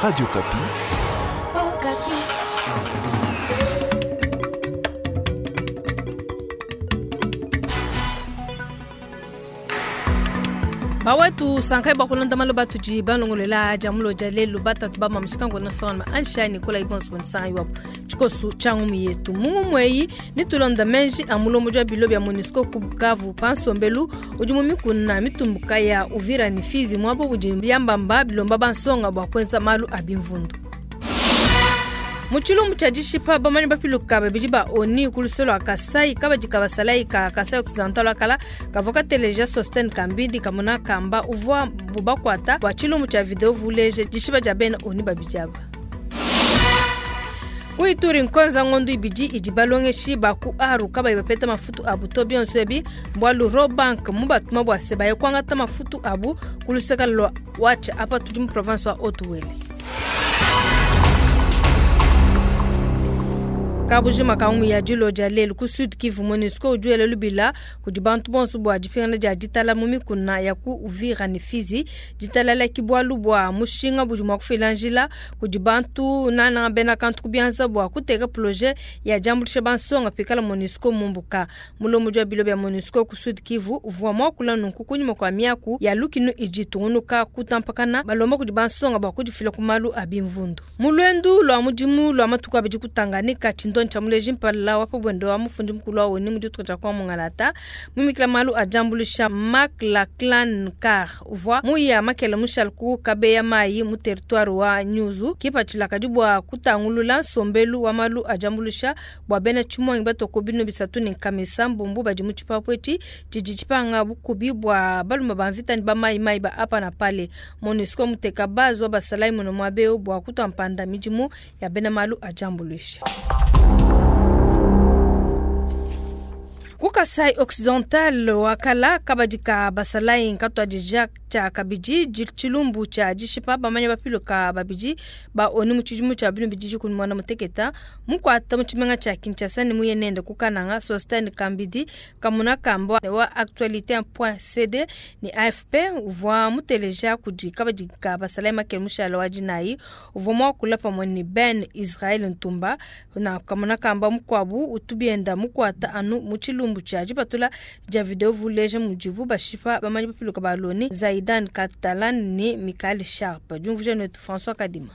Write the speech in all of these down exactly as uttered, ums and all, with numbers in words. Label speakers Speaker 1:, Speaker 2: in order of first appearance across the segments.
Speaker 1: Radio Okapi.
Speaker 2: Okapi.
Speaker 3: Bawetu sankai bakulonda malo batudi balongolela jamulo ja lelu batatu bamamushikango nosona ansha nikola ibonso bonisa iwapo tshikosu tshia ngumu yetu mungu mweyi nitulonda menji a mulombo jwa bilo bya MONUSCO ku Bukavu pansombelu udi mu mikuna mitumbuka ya Uvira ni Fizi mwabo udi byambamba bilomba bansonga bua kuenza malu a bimvundu. Mu tshilumbu tshia dishipa bamanyi bapiluka babidi ba ONU ku lusolo lua Kasai kabadi ka basalayi ka Kasai Occidental akala kavua kateleja Sosten Kambidi kamona kamba uvua bubakuata bua tshilumbu tshia video vuleje dishipa dia bena ONU babidi aba. Ku Ituri nkonza ngondu ibidi idi balongeshi ba ku Aru kabayi bapeta mafutu abu to bionso ebi mbwalu Rawbank mu batuma bua se baye kuangata mafutu abu ku luseka lua Watcha apa tudi mu province wa Haut-Uele. Kabujima ka umu ya dilo dia lelu ku Sud Kivu MONUSCO udi wela lubila kudi bantu bonso bua dipingana dia ditala mu mikuna ya ku Uvira ne Fizi. Ditala la kibualu bua mushinga budi mua kufila njila kudi bantu nana bena kantu ku bianza bua kuteka projet ya diambuluisha bansonga pikala MONUSCO mumbuka. Mulombo wa bilo bya MONUSCO ku Sud Kivu uvua muakula nunku kunyima kua miaku ya lukinu idi tungunuka kutampakana balomba kudi bansonga bua kudifila ku malu a bimvundu. Mu luendu lua mudimu lua matuku abidi ku Tanganyika, tshindo tshia muleji mpala wa pabwendo wa mufundi mukulu wa ONU mu dituku dia kwa Mungalata mumikila malu a diambuluisha Marc Lachlan Carr uvua muya makela mushale ku kabeya mayi mu territoire wa Nyuzu kipatshila kadi bua kutangulula nsombelu wa malu a diambuluisha bua bena tshimuangi batoko bino bisatu ne nkamesa mbumbu badi mu tshipapu etshi tshidi tshipanga bukubi bua balume ba mvita ne ba mayi mayi ba apa na pale. MONUSCO muteka base wa basalayi muno muabeo bua kutua mpanda midimu ya bena malu a diambuluisha. Ku Kasai Occidental wakala kabadi ka basalayi nkatuadija tshia kabidi tshilumbu tshia dishipa bamanya bapiluka babidi ba ONU mu tshidimu tshia binu bididi kudi muana muteketa mukuata mu tshimenga tshia Kinshasa ne muye nende ku Kananga. Sosten Kambidi kamuna kamba wa actualité point C D ne A F P uvua muteleja kudi kabadi ka basalayi makele mushala wa dinayi uvua muakula pamue ne Ben Israel Ntumba na kamuna kamba mukuabu utubienda mukuata anu mu tshilumbu tshia dipatula dia video vuleje mudibu bashipa bamanyi bapiluka ba Loni Zaidan Catalan ne Michael Sharp. Diumvuija netu François Kadima.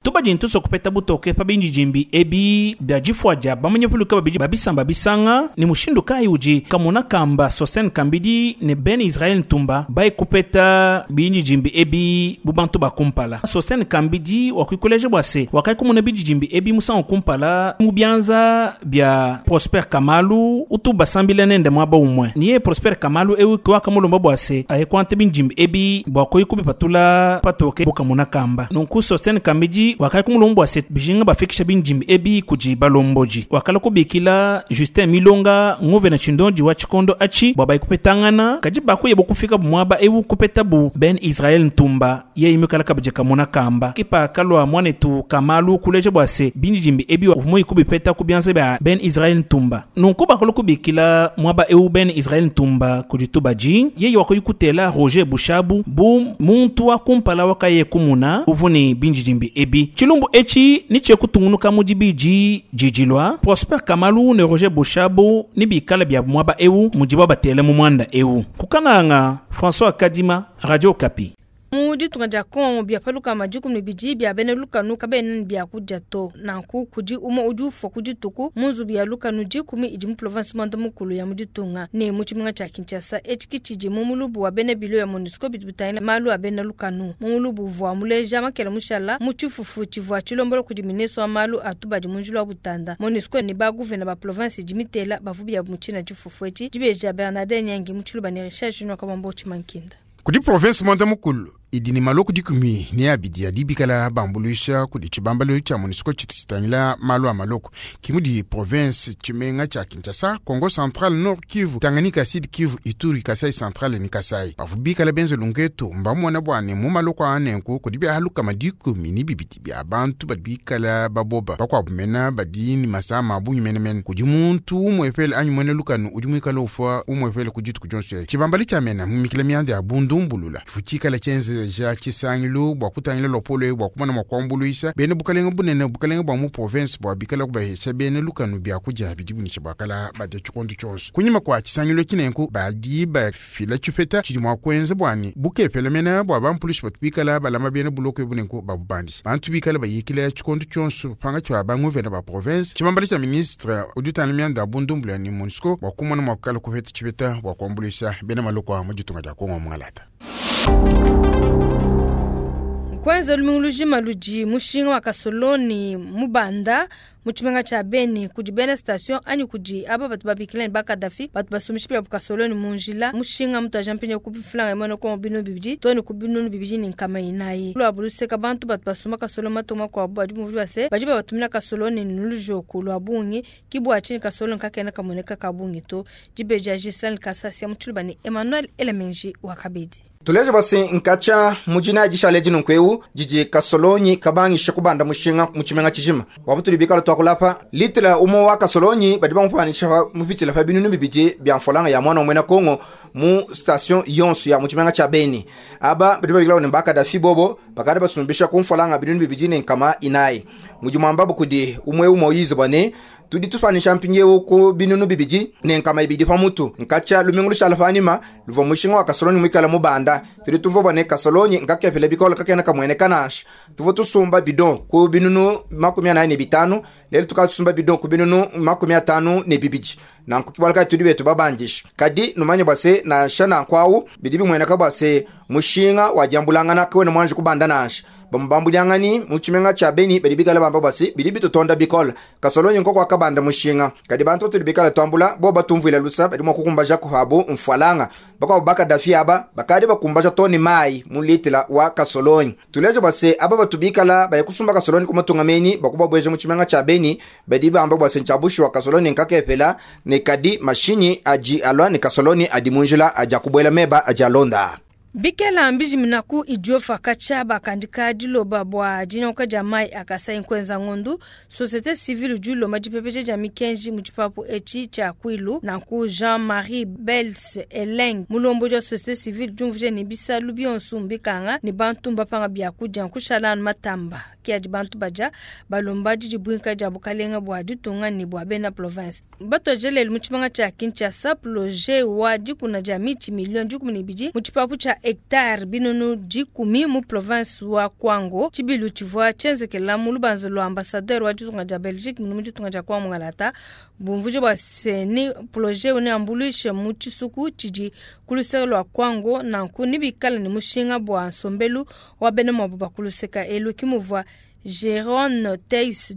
Speaker 4: Tubadi ntuso kupeta butoke pa bindidimbi ebi bia difua dia bamanyi bapiluka babidi babisamba bisanga ne mushindu kayi udi kamona kamba Sosten Kambidi ne Ben Israel Ntumba bayi kupeta bindidimbi ebi bu bantu bakumpala. Sosten Kambidi wakuikoleje bua se wakai kumona bindidimbi ebi musangu kumpala mu bianza bia Prosper Kamalu utu basambila nende muaba umue. Niye Prosper Kamalu ewi wakamulomba bua se aye kuante bindidimbi ebi bua koyi kubipatula patoke bukamona kamba. Nunku Sosten Kambidi wakai kumulomba bua se bijinga bafikisha bindidimbi ebi kudi balomboji. Wakala kubikila Justin Milonga ngove na chindonji wa chikondo achi bua bayi kupetangana kadi bakuye bokufika muaba ewu kupeta bu Ben Israel Ntumba ye imikala kabidi kamona kamba. Kipa kalwa mwanetu Kamalu kuleje bua se bindidimbi ebi uvumoyi kubipeta ku bianza bia Ben Israel Ntumba. Nunku bakala kubikila muaba ewu Ben Israel Ntumba kudi tubaji yeye wakoyi kutela Roger Bushabu bu muntu wa kumpala wakaye kumuna uvuni bindidimbi ebi. Tshilumbu etshi ni tshie kutungunuka mu dibidi didilwa Prosper Kamalu ne Roger Bushabu ni bikala bia muaba ewu mudibo batele mu mwanda ewu. Kukananga François Kadima, Radio Okapi.
Speaker 3: Mu ditunga dia Congo bia paluka madikumi ne bidi bia bena lukanu kabena ne bia kudia to. Nanku kudi umue udi ufua ku dituku mu nzubu ya lukanu dikumi idi mu province muanda mukulu ya mu ditunga ne mu tshimenga tshia Kinshasa. Etshi ki tshidi mu mulubu wa bena bilo ya MONUSCO bidi bitangila malu a bena lukanu. Mu mulubu uvua muleja makela mushala mu tshifufu tshivua tshilombola kudi ministre wa malu a tubadi mu njila wa butanda. MONUSCO ne ba gouverneur ba province idi mitela bavu bia mu tshina tshifufu etshi. Dibeja Bernardin Nyangi mu tshiluba ne Richard Junior Kabambo Tshimankinda.
Speaker 5: Kudi province muanda mukulu idi ne maloko dikumi ne abidi adi bikala bambuluisha kudi tshibambalu tshia MONUSCO tshitu tshitangila malu a maloko. Kimudi province tshimenga tshia Kinshasa, Congo Central, Nord Kivu, Tanganyika, Sud Kivu, Ituri, Kasai Central ne Kasai. Bavu bikala benze lungetu mbamona bua ne mu maloko a nenku kudi biahaluka madikumi ne bibidi bia bantu badi bikala baboba bakuabu mena badi ne masama a bungi menemene. Kudi muntu umuepele anyi muena lukanu udi muikale ufua umuepele ku dituku dionso. Tshibambalu tshia mena mumikila mianda ya bundumbulula tshikala tshienze benzeja tshisangilu bua kutangila lopolo bua kumona mua kuambuluisha bena bukalenge bunene bukalenge bua mu province bua bikala kubahesha bena lukanu biakudia bidi bunisha buakala badia tshikondo tshionso. Kunyima kua tshisangilu tshinenku badi bafila tshipeta tshidi mua kuenza bwani bukepela mena bua bampulushi batu bikala balama bena buloko ebunenku babubandisha bantu bikala bayikila tshikondo tshionso panga tshia banguvena ba province tshibambala tshia ministre udi utangila mianda ya bundumbula ni MONUSCO bua kumona mua kukala kupeta tshipeta bua kuambuluisha bena maloko a mu ditunga dia Kongo mungalata.
Speaker 3: Kwanza lumingu lujima ludi mushinga wa kasoloni mubanda mu tshimenga tshia Beni kudi bena station anyi kudi aba batu babikila ne ba Kadafi batu basumisha bia kasoloni mu njila mushinga mutu ajampinye ku bifulanga imwe ko binu bibidi to ne ku binu bibidi ni nkama inayi lwa buluseka bantu batu basuma kasoloni matoma kwa badi mu base badi batumina kasoloni nulujoku lwa bungi kibwa chini kasoloni kakena kamoneka kabungi to dibeja Giselle Kasasia mu tshiluba ne Emmanuel Elemenji wa Kabedi.
Speaker 1: Tuleje basi nkacha mujina jishale jinu nkweu jiji kasolonyi kabangisha kubanda mushinga muchimenga chijima wabutuli bikala twakulapa litela umo wa kasolonyi badi bamupanisha mupitila pa binunu bibidi bya mfolanga ya mwana omwena Kongo mu station yonso ya muchimenga cha Beni aba badi babikila ne bakadafi bobo bakada basumbisha ku mfolanga binunu bibidi ne nkama inayi mujimwamba bukudi umwe umo yizo bane tudi tufanisha mpinyewu ku binunu bibidi ne nkama ibidi pamutu nkacha lumingu lushala panima luva mushinga wa kasolonyi mwikala mubanda tudi tuvo bane kasolonyi nkakepele bikola kakena kamwene kanasha tuvo tusumba bidon ku binunu makumi anayi ne bitanu lelo tukatusumba bidon ku binunu makumi atanu ne bibidi nanku kibalaka tudi betu babandisha kadi numanye bwase nansha nankwawu bidi bimweneka bwase mushinga wajambulangana kiwene mwanje kubanda nansha bamubambulyangani muchimenga cha Beni badi bikala bamba basi bidi bitutonda bikola kasolonyi nkoko akabanda mushinga kadi bantu tuli bikala twambula bo batumvwila lusa badi mwakukumbaja kuhabu mfwalanga bakwa bakadafi aba bakadi bakumbaja toni mai mulitila wa kasolonyi tulejo basi aba batubikala bayakusumba kasolonyi kumatungameni bakuba bweje muchimenga cha Beni badi bamba basi nchabushi wa kasolonyi nkakepela ne kadi mashinyi aji alwa ne kasolonyi adi munjila aja kubwela meba aja londa.
Speaker 3: Bikela mbiji minaku idiofa kacha bakandika diloba bwa dinyoka ja mai akasa inkwenza ngondu société civile du loma dipepeje ja mikenji muchipapu echi cha kwilu nanku Jean-Marie Bels Eleng mulombo ja société civile jumvuje ni bisalu bionso mbikanga ni bantu mbapanga bya kuja kushala matamba kia di bantu baja balomba dibwinka ja bukalenga bwa ditunga ni bwa bena province batojele muchimanga cha Kinshasa projet wa dikuna ja michi milioni dikumi ne bidi muchipapu cha hectare binunu dikumi mu province wa Kwango chibilu chivwa chenzekela mu lubanza lwa ambassadeur wa ditunga ja Belgique mu ditunga ja Kwango ngalata bumvuje bwa seni projet one ambulishe mu chisuku chidi kuluseka lwa Kwango nanku nibikala ni mushinga bwa nsombelu wa bena mwabu bakuluseka elu kimuvwa Jérôme Theis,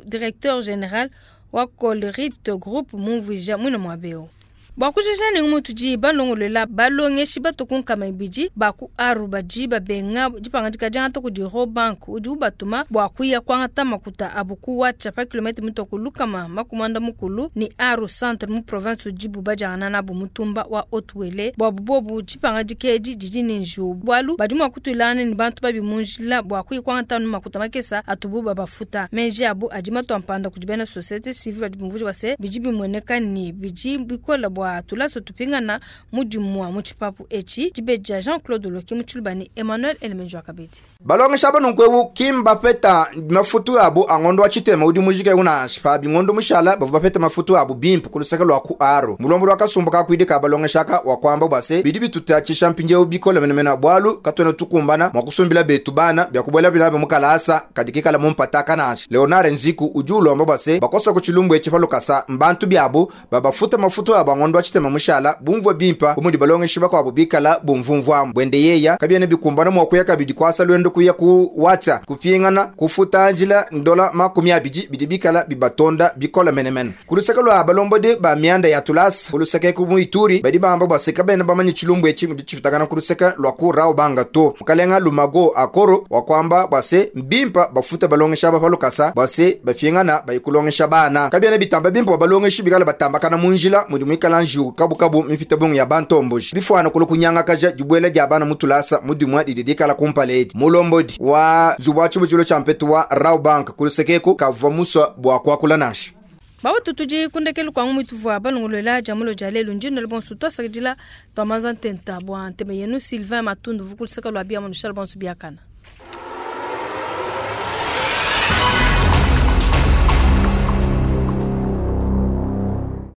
Speaker 3: directeur général wa Colruyt Group mumvija mwina mwabeo. Bwakushesha ni umutu balongolela balongeshi batokunkama ibidi baku aru baji babenga dipanga dikajanga toko di Rawbank udi ubatuma bwakuya kwangata makuta abuku wacha pa kilomètre mitoko lukama makumanda mukulu ni aru centre mu province ujibu bajana na bu mutumba wa Otwele bwabu bobu dipanga dikeji didi ni nju bwalu badi mwakutulana ni bantu babi munjila bwakuya kwangata makuta makesa atubu babafuta menji abu adima twampanda kujibena société civile badi mvuji wase biji bimweneka ni biji bikola bwa tulaso tupingana mudimwa muchipapu echi dibeja Jean-Claude Loki muchulubani Emmanuel Elemenjo akabeti
Speaker 1: balongesha banunkwewu kimba peta mafutu abu angondo wa chitema udi mujike una shipa bingondo mushala bavu bapeta mafutu abu bimpu kulusaka lwa ku aro mulombo lwa kasumbu ka kwidika balongeshaka wa kwamba bwase bidi bitutacisha mpinje bikola menemena bwalu katwena tukumbana mwakusumbila betu bana byakubwela bilabe mukalasa kadikikala mumpataka nasha Leonard Nziku ujulomba bwase bakosa kuchilumbu echi palukasa mbantu byabu babafuta mafutu abu angondo chitema mushala bumvwa bimpa bumudi balongeshi bakwabo bikala bumvumvwamu bwende yeya kabyene bikumbana mwakuya kabidi kwasa lwendo kuya ku watsa kupingana kufuta njila ndola makumi abidi bidi bikala bibatonda bikola menemene kulusaka lwa balombodi ba mianda ya tulasa kulusaka ku muituri badi bamba bwaseka bene bamanyi chilumbu echi mudi chipitakana kulusaka lwa ku Rawbank to mukalenga lumago akoro wakwamba bwase mbimpa bafuta balongesha bapalukasa bwase bapingana bayikulongesha bana kabyene bitamba bimpa balongeshi bikala batambakana munjila mudi mwikala nju kabu kabu mipita bongo ya bantomboji bifwana kulu kunyanga kaja jibwela jabana bana mutulasa mudimwa dididikala kumpaledi mulombodi wa zubwa chibuchulo cha mpetu wa Rawbank kulusekeko kavwa muswa bwa kwakula nasha.
Speaker 3: Baba tudi kundekelu kwangu mwituvua balongolola jamulo ja lelu ndino bonso twasakidila twamanza ntenta bua nteme yenu Sylvain Matundu vukulisaka lwa bia monushal bonso biakana.